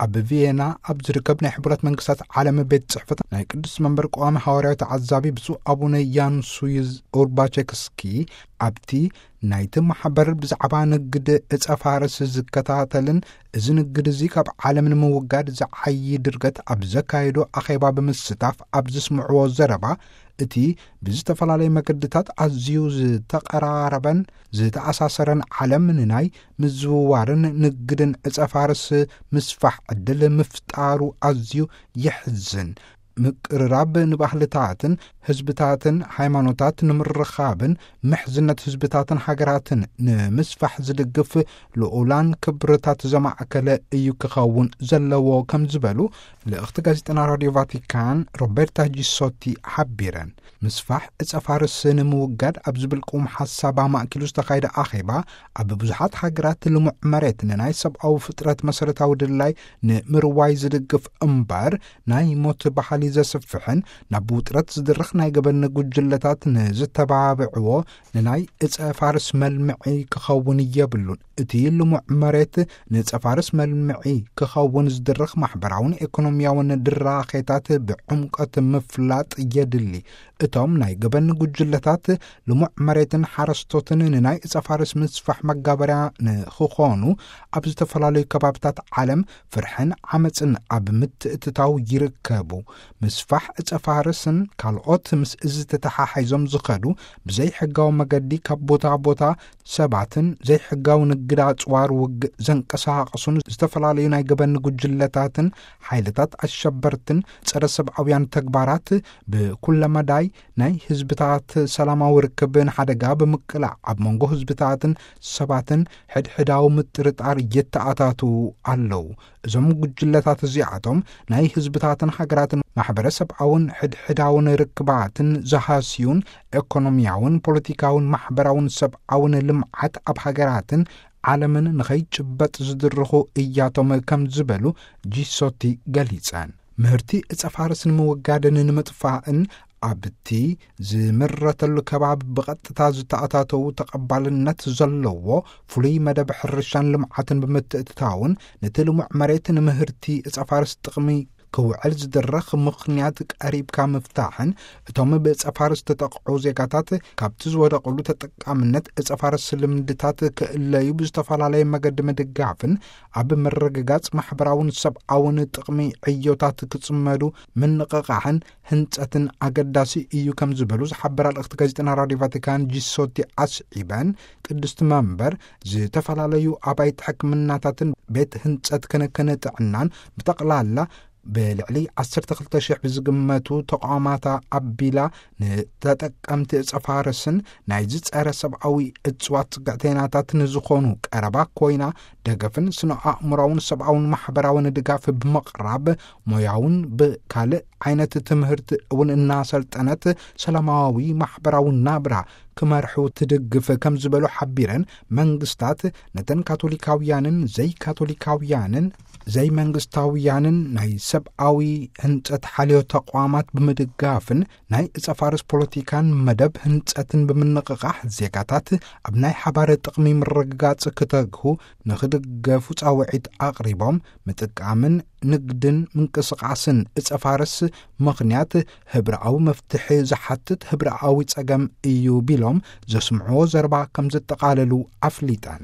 ኣብ ቪየና ኣብ ዝርከብ ናይ ሕቡራት መንግስታት ዓለም ቤት ጽሕፈት ናይ ቅዱስ መንበር ቀዋሚ ሃዋርያዊ ተዓዛቢ ብፁዕ ኣቡነ ያንሱይዝ ኡርባቸክስኪ፣ ኣብቲ ናይቲ ማሕበር ብዛዕባ ንግድ ዕጸ ፋርስ ዝከታተልን፣ እዚ ንግድ እዚ ካብ ዓለም ንምውጋድ ዝዓዪ ድርገት ኣብ ዘካየዶ ኣኼባ ብምስታፍ ኣብ ዝስምዕዎ ዘረባ፣ እቲ ብዝተፈላለየ መገድታት ኣዝዩ ዝተቐራረበን ዝተኣሳሰረን ዓለም ንናይ ምዝውዋርን ንግድን ዕጸ ፋርስ ምስፋሕ ዕድል ምፍጣሩ ኣዝዩ የሕዝን። ምቅርራብ ንባህልታትን ህዝብታትን ሃይማኖታት ንምርኻብን ምሕዝነት ህዝብታትን ሃገራትን ንምስፋሕ ዝድግፍ ልኡላን ክብርታት ዘማእከለ እዩ ክኸውን ዘለዎ ከም ዝበሉ ልእኽቲ ጋዜጠና ራዲዮ ቫቲካን ሮቤርታ ጂሶቲ ሓቢረን። ምስፋሕ ዕጸ ፋርስ ንምውጋድ ኣብ ዝብል ቁም ሓሳብ ኣማእኪሉ ዝተኻየደ ኣኼባ፣ ኣብ ብዙሓት ሃገራት ልሙዕ መሬት ንናይ ሰብኣዊ ፍጥረት መሰረታዊ ድላይ ንምርዋይ ዝድግፍ እምበር፣ ናይ ሞት ባህሊ ዘስፍሕን ናብ ውጥረት ዝድርኽ ናይ ገበን ጉጅለታት ንዝተባብዕዎ ንናይ ዕጸ ፋርስ መልምዒ ክኸውን የብሉን። እቲ ልሙዕ መሬት ንጸፋርስ መልምዒ ክኸውን ዝድርኽ ማሕበራውን ኤኮኖሚያውን ድራኼታት ብዕምቀት ምፍላጥ የድሊ። እቶም ናይ ገበን ጉጅለታት ልሙዕ መሬትን ሓረስቶትን ንናይ እጸፋርስ ምስፋሕ መጋበርያ ንኽኾኑ ኣብ ዝተፈላለዩ ከባብታት ዓለም ፍርሕን ዓመፅን ኣብ ምትእትታው ይርከቡ። ምስፋሕ እጸፋርስን ካልኦት ምስ እዚ ተተሓሒዞም ዝኸዱ ብዘይሕጋዊ መገዲ ካብ ቦታ ቦታ ሰባትን ዘይሕጋዊ ንግድ ኣጽዋር ውግእ ዘንቀሳቐሱን ዝተፈላለዩ ናይ ገበን ጉጅለታትን ሓይልታት ኣሸበርትን ጸረ ሰብኣውያን ተግባራት ብኩለመዳይ ናይ ህዝብታት ሰላማዊ ርክብ ንሓደጋ ብምቅላዕ ኣብ መንጎ ህዝብታትን ሰባትን ሕድሕዳዊ ምጥርጣር የተኣታትዉ ኣለዉ። እዞም ጉጅለታት እዚኣቶም ናይ ህዝብታትን ሃገራትን ማሕበረሰብኣውን ሕድሕዳውን ርክባትን ዝሃስዩን ኤኮኖሚያውን ፖለቲካውን ማሕበራውን ሰብኣውን ልምዓት ኣብ ሃገራትን ዓለምን ንኸይጭበጥ ዝድርኹ እያቶም ከም ዝበሉ ጂሶቲ ገሊጸን። ምህርቲ እጸ ፋርስ ንምውጋድን ንምጥፋእን ኣብቲ ዝምረተሉ ከባቢ ብቐጥታ ዝተኣታተዉ ተቐባልነት ዘለዎ ፍሉይ መደብ ሕርሻን ልምዓትን ብምትእትታውን ነቲ ልሙዕ መሬት ንምህርቲ እጸ ፋርስ ጥቕሚ ክውዕል ዝድረኽ ምኽንያት ቀሪብካ ምፍታሕን እቶም ብእጸ ፋርስ ዝተጠቕዑ ዜጋታት ካብቲ ዝወደቕሉ ተጠቃምነት እጸ ፋርስ ልምድታት ክእለዩ ብዝተፈላለየ መገዲ ምድጋፍን ኣብ ምርግጋጽ ማሕበራውን ሰብኣውን ጥቕሚ ዕዮታት ክጽመዱ ምንቕቓሕን ህንጸትን ኣገዳሲ እዩ ከም ዝበሉ ዝሓበራ ልእኽቲ ጋዜጠና ራዲዮ ቫቲካን ጂሶቲ ኣስዒበን፣ ቅድስቲ መንበር ዝተፈላለዩ ኣባይቲ ሕክምናታትን ቤት ህንጸት ክንክን ጥዕናን ብጠቕላላ ብልዕሊ ዓሰርተ ክልተ ሽሕ ብዝግመቱ ተቋማታ ኣቢላ ንተጠቀምቲ እጸ ፋርስን ናይዚ ጸረ ሰብኣዊ እጽዋት ስግዕተይናታት ንዝኾኑ ቀረባ ኮይና ደገፍን ስነ ኣእምራውን ሰብኣውን ማሕበራውን ድጋፍ ብምቕራብ ሞያውን ብካልእ ዓይነት ትምህርቲ እውን እናሰልጠነት ሰላማዊ ማሕበራዊ ናብራ ክመርሑ ትድግፍ ከም ዝበሉ ሓቢረን፣ መንግስታት ነተን ካቶሊካውያንን ዘይካቶሊካውያንን ዘይመንግስታውያንን ናይ ሰብኣዊ ህንጸት ሓልዮ ተቋማት ብምድጋፍን ናይ እጸ ፋርስ ፖለቲካን መደብ ህንጸትን ብምንቕቓሕ ዜጋታት ኣብ ናይ ሓባር ጥቕሚ ምርግጋጽ ክተግሁ ንኽድገፉ ጻውዒት ኣቕሪቦም፣ ምጥቃምን ንግድን ምንቅስቓስን እጸ ፋርስ ምኽንያት ህብረኣዊ መፍትሒ ዝሓትት ህብረኣዊ ጸገም እዩ ቢሎም ዘስምዕዎ ዘረባ ከም ዘጠቓለሉ ኣፍሊጠን።